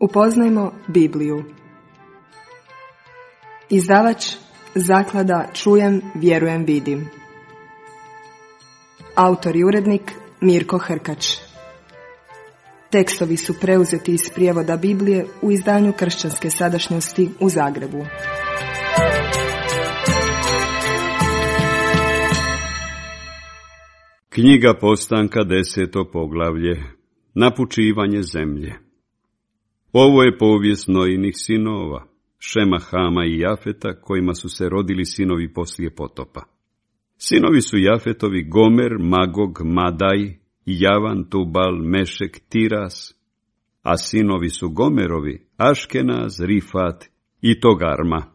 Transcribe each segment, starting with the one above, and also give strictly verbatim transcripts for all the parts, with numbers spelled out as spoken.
Upoznajmo Bibliju. Izdavač Zaklada Čujem, vjerujem, vidim. Autor i urednik Mirko Hrkač. Tekstovi su preuzeti iz prijevoda Biblije u izdanju Kršćanske sadašnjosti u Zagrebu. Knjiga Postanka, deseto poglavlje. Napučivanje zemlje. Ovo je povijest Nojinih sinova, Šema, Hama i Jafeta, kojima su se rodili sinovi poslije potopa. Sinovi su Jafetovi Gomer, Magog, Madaj, Javan, Tubal, Mešek, Tiras, a sinovi su Gomerovi Aškenaz, Rifat i Togarma.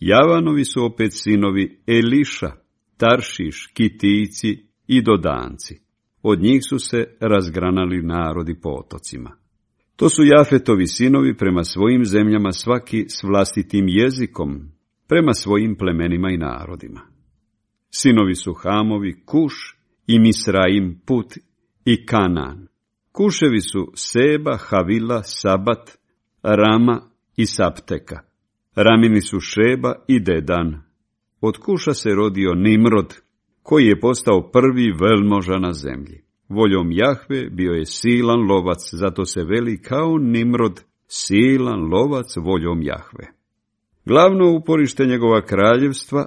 Javanovi su opet sinovi Eliša, Taršiš, Kitijci i Dodanci. Od njih su se razgranali narodi po otocima. To su Jafetovi sinovi prema svojim zemljama, svaki s vlastitim jezikom, prema svojim plemenima i narodima. Sinovi su Hamovi Kuš i Misraim, Put i Kanan. Kuševi su Seba, Havila, Sabat, Rama i Sapteka. Ramini su Šeba i Dedan. Od Kuša se rodio Nimrod, koji je postao prvi velmoža na zemlji. Voljom Jahve bio je silan lovac, zato se veli kao Nimrod, silan lovac voljom Jahve. Glavno uporište njegova kraljevstva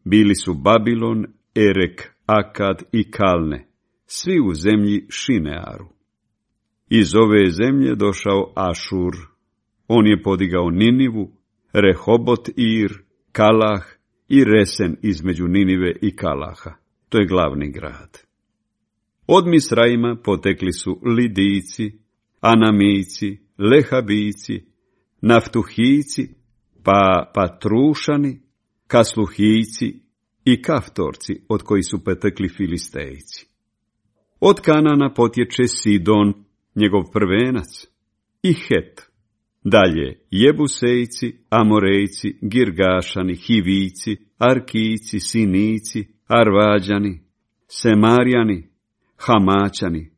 bili su Babilon, Erek, Akad i Kalne, svi u zemlji Šinearu. Iz ove zemlje došao Ašur. On je podigao Ninivu, Rehobot Ir, Kalah i Resen između Ninive i Kalaha. To je glavni grad. Od Misraima potekli su Lidijci, Anamijci, Lehabijci, Naftuhijci, pa Patrušani, Kasluhijci i Kaftorci, od kojih su potekli Filistejci. Od Kanana potječe Sidon, njegov prvenac, i Het. Dalje Jebusejci, Amorejci, Girgašani, Hivijci, Arkijci, Sinici, Arvađani, Semarijani, Hamaćani.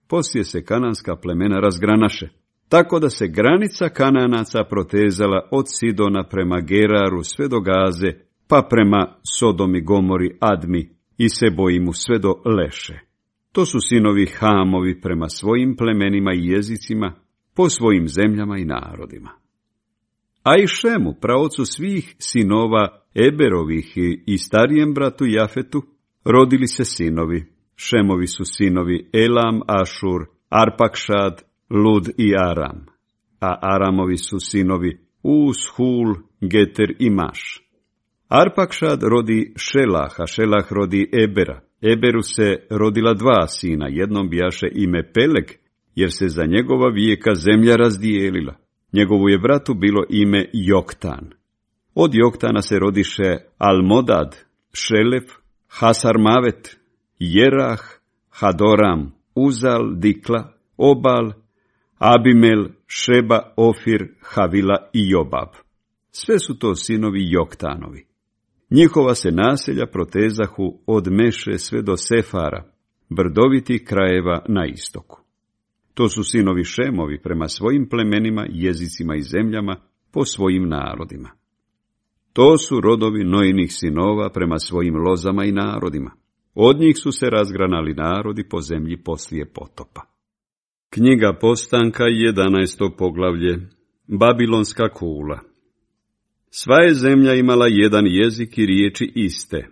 Poslije se kananska plemena razgranaše, tako da se granica Kananaca protezala od Sidona prema Geraru sve do Gaze, pa prema Sodomi, Gomori, Admi i Seboimu sve do Leše. To su sinovi Hamovi prema svojim plemenima i jezicima, po svojim zemljama i narodima. A i Šemu, praocu svih sinova Eberovih i starijem bratu Jafetu, rodili se sinovi. Šemovi su sinovi Elam, Ašur, Arpakšad, Lud i Aram, a Aramovi su sinovi Uz, Hul, Geter i Maš. Arpakšad rodi Šelaha, Šelah rodi Ebera. Eberu se rodila dva sina, jednom bijaše ime Peleg, jer se za njegova vijeka zemlja razdijelila. Njegovu je bratu bilo ime Joktan. Od Joktana se rodiše Almodad, Šelef, Hasarmavet, Jerah, Hadoram, Uzal, Dikla, Obal, Abimel, Šeba, Ofir, Havila i Jobab. Sve su to sinovi Joktanovi. Njihova se naselja protezahu od Meše sve do Sefara, brdovitih krajeva na istoku. To su sinovi Šemovi prema svojim plemenima, jezicima i zemljama, po svojim narodima. To su rodovi Nojinih sinova prema svojim lozama i narodima. Od njih su se razgranali narodi po zemlji poslije potopa. Knjiga Postanka, jedanaesto poglavlje. Babilonska kula. Sva je zemlja imala jedan jezik i riječi iste,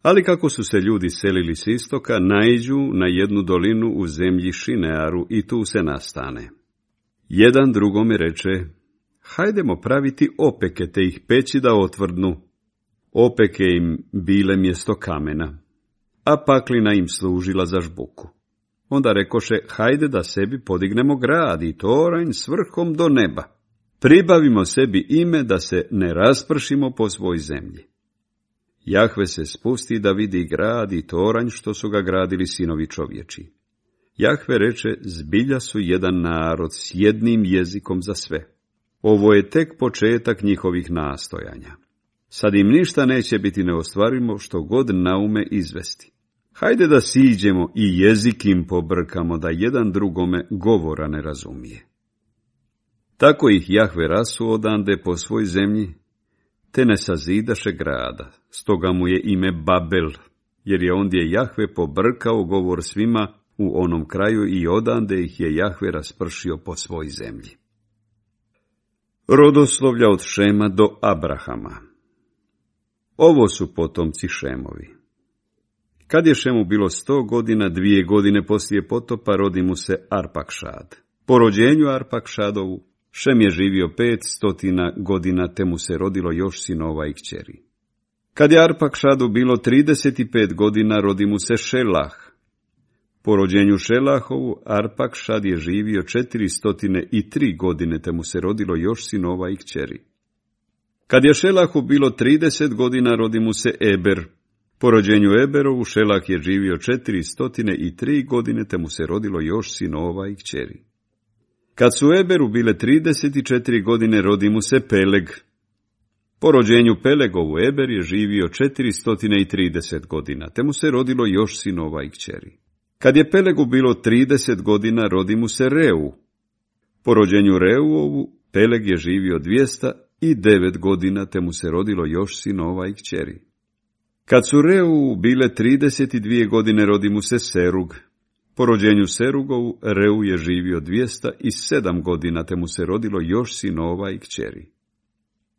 ali kako su se ljudi selili s istoka, naiđu na jednu dolinu u zemlji Šinearu i tu se nastane. Jedan drugome reče: hajdemo praviti opeke te ih peći da otvrdnu. Opeke im bile mjesto kamena, a paklina im služila za žbuku. Onda rekoše: hajde da sebi podignemo grad i toranj s vrhom do neba. Pribavimo sebi ime da se ne raspršimo po svoj zemlji. Jahve se spusti da vidi grad i toranj što su ga gradili sinovi čovječi. Jahve reče: zbilja su jedan narod s jednim jezikom za sve. Ovo je tek početak njihovih nastojanja. Sad im ništa neće biti neostvarivo što god naume izvesti. Hajde da siđemo i jezik im pobrkamo, da jedan drugome govora ne razumije. Tako ih Jahve rasu odande po svoj zemlji, te ne sazidaše grada, stoga mu je ime Babel, jer je ondje Jahve pobrkao govor svima u onom kraju i odande ih je Jahve raspršio po svoj zemlji. Rodoslovlja od Šema do Abrahama. Ovo su potomci Šemovi. Kad je Šemu bilo sto godina, dvije godine poslije potopa, rodi mu se Arpakšad. Po rođenju Arpakšadovu, Šem je živio pet stotina godina, te mu se rodilo još sinova i kćeri. Kad je Arpakšadu bilo trideset pet godina, rodi mu se Šelah. Po rođenju Šelahovu, Arpakšad je živio četiristo tri godine, te mu se rodilo još sinova i kćeri. Kad je Šelahu bilo trideset godina, rodi mu se Eber. Po rođenju Eberovu, Šelah je živio četiristo tri godine, te mu se rodilo još sinova i kćeri. Kad su Eberu bile trideset četiri godine, rodi mu se Peleg. Po rođenju Pelegovu, Eber je živio četiristo trideset godina, te mu se rodilo još sinova i kćeri. Kad je Pelegu bilo trideset godina, rodi mu se Reu. Po rođenju Reuovu, Peleg je živio dvjesto devet godina, te mu se rodilo još sinova i kćeri. Kad su Reu bile trideset dvije godine, rodi mu se Serug. Po rođenju Serugovu, Reu je živio dvjesto sedam godina, te mu se rodilo još sinova i kćeri.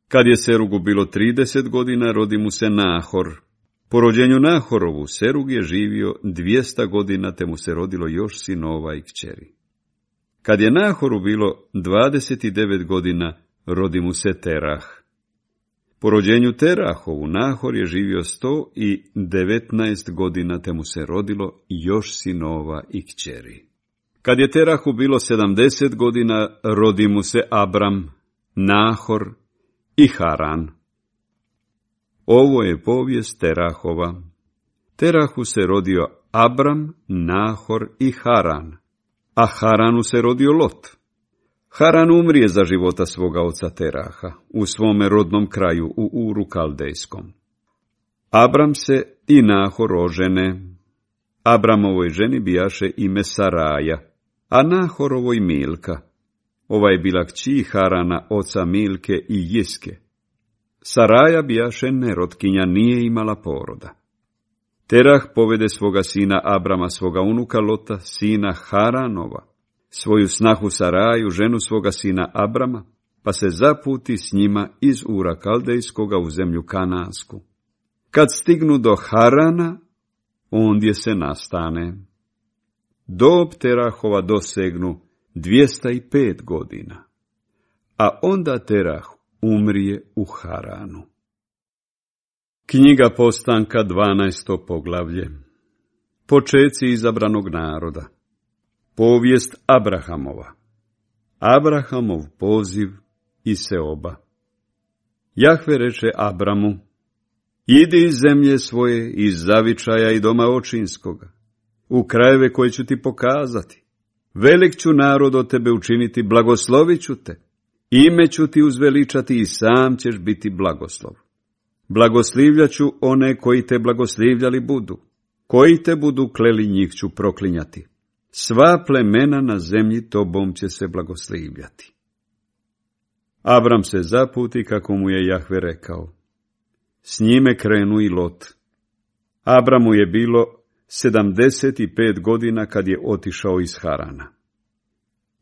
Kad je Serugu bilo trideset godina, rodi mu se Nahor. Po rođenju Nahorovu, Serug je živio dvjesto godina, te mu se rodilo još sinova i kćeri. Kad je Nahoru bilo dvadeset devet godina, rodi mu se Terah. Po rođenju Terahovu, Nahor je živio sto devetnaest godina, te mu se rodilo još sinova i kćeri. Kad je Terahu bilo sedamdeset godina, rodi mu se Abram, Nahor i Haran. Ovo je povijest Terahova. Terahu se rodio Abram, Nahor i Haran, a Haranu se rodio Lot. Haran umrije za života svoga oca Teraha, u svome rodnom kraju u Uru Kaldejskom. Abram se i Nahor ožene. Abramovoj ženi bijaše ime Saraja, a Nahorovoj Milka. Ova je bila kći Harana, oca Milke i Jiske. Saraja bijaše nerotkinja, nije imala poroda. Terah povede svoga sina Abrama, svoga unuka Lota, sina Haranova, svoju snahu Saraju, ženu svoga sina Abrama, pa se zaputi s njima iz Ura Kaldejskoga u zemlju Kanansku. Kad stignu do Harana, ondje se nastane. Dob Terahova dosegnu dvjesto pet godina, a onda Terah umrije u Haranu. Knjiga Postanka, dvanaesto poglavlje. Počeci izabranog naroda. Povijest Abrahamova. Abrahamov poziv i seoba. Jahve reče Abramu: idi iz zemlje svoje, iz zavičaja i doma očinskoga, u krajeve koje ću ti pokazati. Velik ću narod od tebe učiniti, blagoslovit ću te, ime ću ti uzveličati i sam ćeš biti blagoslov. Blagoslivljat ću one koji te blagoslivljali budu, koji te budu kleli, njih ću proklinjati. Sva plemena na zemlji tobom će se blagoslivljati. Abram se zaputi kako mu je Jahve rekao. S njime krenu i Lot. Abramu je bilo sedamdeset pet godina kad je otišao iz Harana.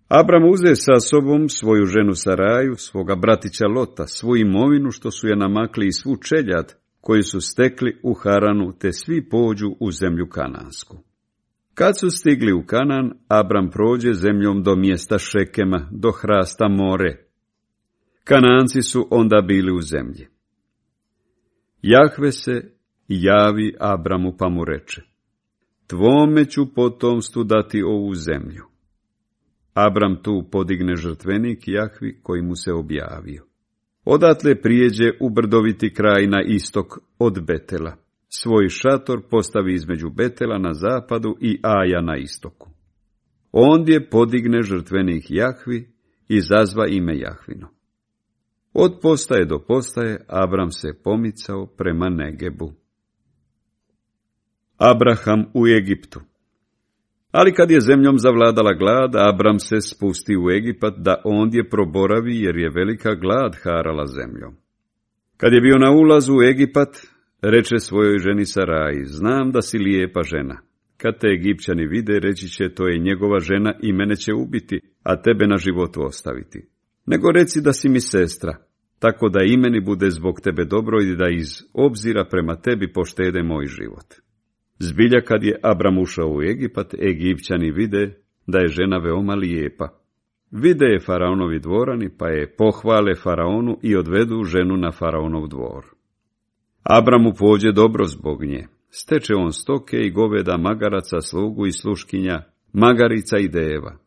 Abram uze sa sobom svoju ženu Saraju, svoga bratića Lota, svu imovinu što su je namakli i svu čeljad koju su stekli u Haranu, te svi pođu u zemlju Kanansku. Kad su stigli u Kanan, Abram prođe zemljom do mjesta Šekema, do hrasta More. Kananci su onda bili u zemlji. Jahve se javi Abramu pa mu reče: tvome ću potomstvu dati ovu zemlju. Abram tu podigne žrtvenik Jahvi koji mu se objavio. Odatle prijeđe u brdoviti kraj na istok od Betela. Svoj šator postavi između Betela na zapadu i Aja na istoku. Ondje podigne žrtvenik Jahvi i zazva ime Jahvino. Od postaje do postaje Abram se pomicao prema Negebu. Abraham u Egiptu. Ali kad je zemljom zavladala glad, Abram se spusti u Egipat da ondje proboravi, jer je velika glad harala zemljom. Kad je bio na ulazu u Egipat, reče svojoj ženi Saraji, znam da si lijepa žena. Kad te Egipćani vide, reći će, to je njegova žena i mene će ubiti, a tebe na životu ostaviti. Nego reci da si mi sestra, tako da i meni bude zbog tebe dobro i da iz obzira prema tebi poštede moj život. Zbilja kad je Abram ušao u Egipat, Egipćani vide da je žena veoma lijepa. Vide je faraonovi dvorani, pa je pohvale faraonu i odvedu ženu na faraonov dvor. Abramu pođe dobro zbog nje. Steče on stoke i goveda, magaraca, slugu i sluškinja, magarica i deva.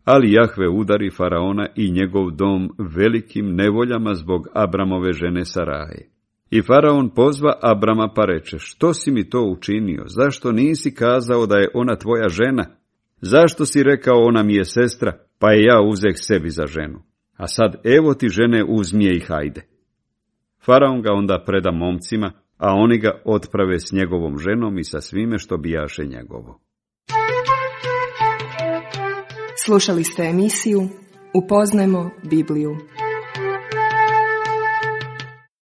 Ali Jahve udari faraona i njegov dom velikim nevoljama zbog Abramove žene Saraje. I faraon pozva Abrama pa reče, što si mi to učinio? Zašto nisi kazao da je ona tvoja žena? Zašto si rekao ona mi je sestra, pa je ja uzeh sebi za ženu? A sad evo ti žene, uzmi je i hajde. Faraon ga onda preda momcima, a oni ga otprave s njegovom ženom i sa svime što bijaše njegovo. Slušali ste emisiju Upoznajmo Bibliju.